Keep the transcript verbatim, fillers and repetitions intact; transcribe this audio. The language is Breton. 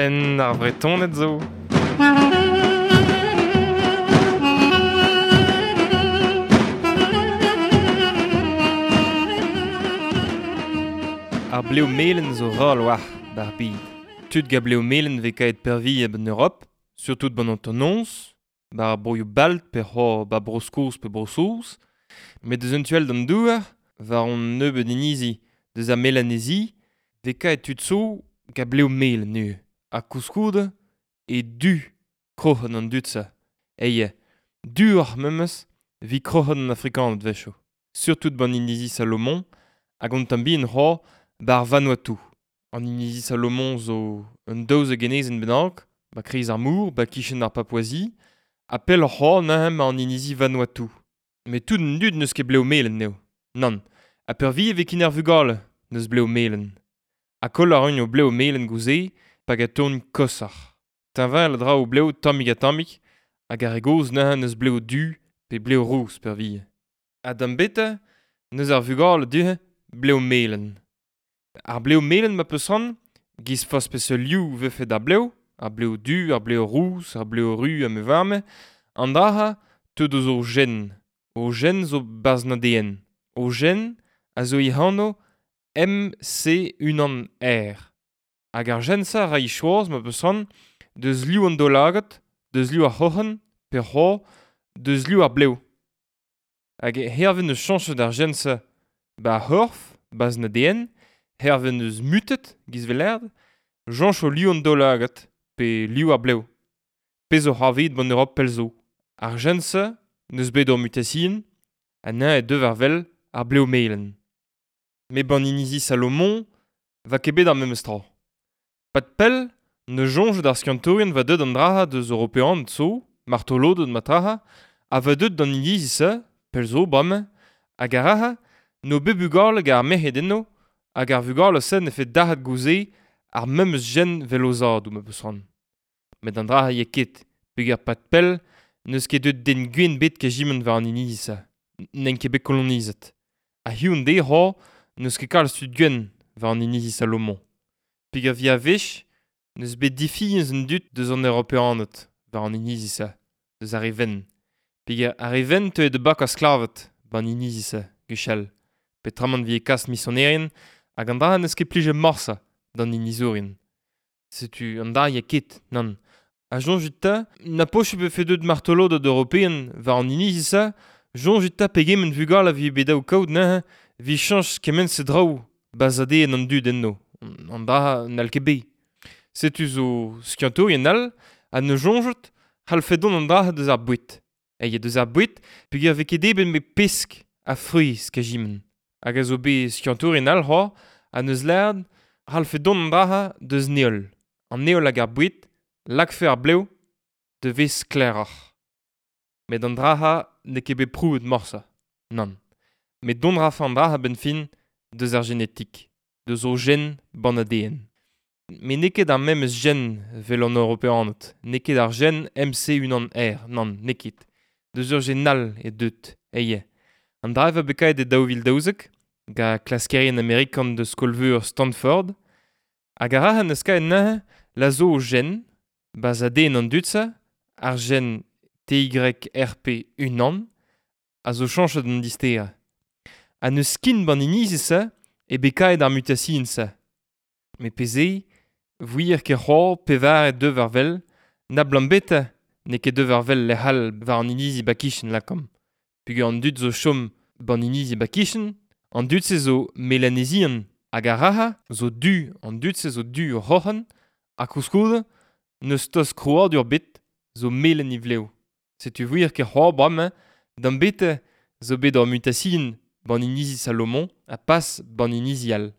Penn ar Vretoned zo. Ar bleo melen zo ral war bar bed. Tud ga bleo melen vez kaet pervi ben Europe, surtout ban an bar broioù balt pe c'ho ba Bro-Skos pe Bro-Saoz, met deus un tuel d'an douar, war on nebeud inizi deus ar Melanezi, vez kaet tud zo ga bleo melen nu. Ha koulskoude e du kroc'hen an dud-se. Eie, duoc'h memes vi kroc'hen an Afrikaned wechoù. Surtout ban inizi Salomon, hag an tamm bihan c'ho bar Vanuatu. An inizi Salomon zo un daouzek enezenn bennak, ba kreiz ar mor, ba kichen ar Papouasie, ha pell c'ho neuze ma an inizi Vanuatu. Met tout an dud n'eus ket bleo melen neo. Nann, ha peurvi e vez kin ar vugale n'eus bleo melen. Ha koll a ran o bleo melen gouze, hag a tourn kosoc'h. Teñval a dra o bleo tammig ha tammig, hag ar re gozh neuze n'eus bleo du pe bleo rous peurvie. Ha d'am beta, n'eus ar vugale du bleo melen. Ar bleo melen ma peus ran, giz forzh peseurt liv vefe d'ar bleo, ar bleo du, ar bleo rous, ar bleo ru ha me varme, an dra teu deus o gen. O gen zo barzh an A D N. O gen a zo e-anv M C unan R. Hag ar gen-se a ra choaz ma peus ran deus liv an daoulagad, deus liv ar c'hroc'hen, pe c'ho, deus liv ar blev. Hag hervez neus chañchet ar gen-se ba ar c'horf, barzh an A D N, hervez neus mutet, giz velerd, chañch o liv an daoulagad, pe liv ar blev. Pezh zo c'hoarvezet ban Europe pell zo. Ar gen-se neus bet ur mutasion, ha neuze e deu war wel ar blev melen. Met ban inizi Salomon va ket bet ar memes tra. Pad pell, ne soñj d'ar skiantourien va deut an draha deus European zo, martoloded ma traha, ha va deut d'an inizi-se, pell zo bremañ, hag ar raha, no bet bugale hag ar merc'hed enno, hag ar vugale-se ne fait dac'hat gouze ar memes gen vel o zadoù ma peus ran. Met an draha ya ket, peogwir pad pell, n'eus ket deut den gwenn bet kejiment war an inizi-se, n'en ket bet kolonizet. Ha hiziv an deiz c'ho, n'eus ket kalz tud gwenn war an inizi Salomon. Peogwir vi a-wech, n'eus bet difiñs an dud deus an Europeaned war an inizi-se, deus ar re wenn. Peogwir ar re wenn teuet da bak ar sklaved war an inizi-se, gwechall. Peotramant vi e kas misionerien hag an dra n'eus ket plijet morse d'an inizourien. Setu an dra ya ket, nann. Ha soñjit 'ta, na posupl vefe deut martoloded european war an inizi-se, soñjit 'ta pegement vugale a vi bet daou kaout neuze, vi chañch kement-se draoù bazadeen an dud enno. An dra n'hall ket bet. Setu zo skiantourien all ha ne soñjot c'hallfe dont an dra deus ar boued. Eie deus ar boued peogwir vez ket debret met pesk ha frouezh kajiment. Hag a zo bet skiantourien all c'hoazh ha neus lâret c'hallfe dont an dra deus neol. An neol hag ar boued lakfe ar blev de vez sklaeroc'h. Met an dra n'eo ket bet prouet morse. Nann. Met dont rafe an dra a-benn fin deus ar genetik, deus o gen ban A D N. Met n'eo ket ar memes gen vel an Europeaned, n'eo ket ar gen M C unan R, nann, n'eo ket. Deus ur gen all e deut, eie. An dra va bet kaet e daou vil daouzek, ga klaskerien amerikan deus skol-veur Stanford, hag ar ra neus kaet neuze la zo o gen, baz A D N an dud-se, ar gen T Y R P unan, a zo chañchet an disterañ. Ha neus kin ban inizi-se e bet kaet ar mutasion-se. Met pezh eo, ket c'hoazh pevar e deu war wel, na blam beta n'eo ket deu war wel lec'h all war an inizi ba kichen lakaomp. Peogwir an dud zo chom ban inizi ba kichen, an dud-se zo melanezian hag ar raha zo du, an dud-se zo du o c'hroc'hen, ha koulskoude n'eus tost krouadur bet zo melen e vlev. Setu wir ket c'hoazh bremañ, d'am beta zo bet ur mutasion ban inizi Salomon ha pas ban inizi all.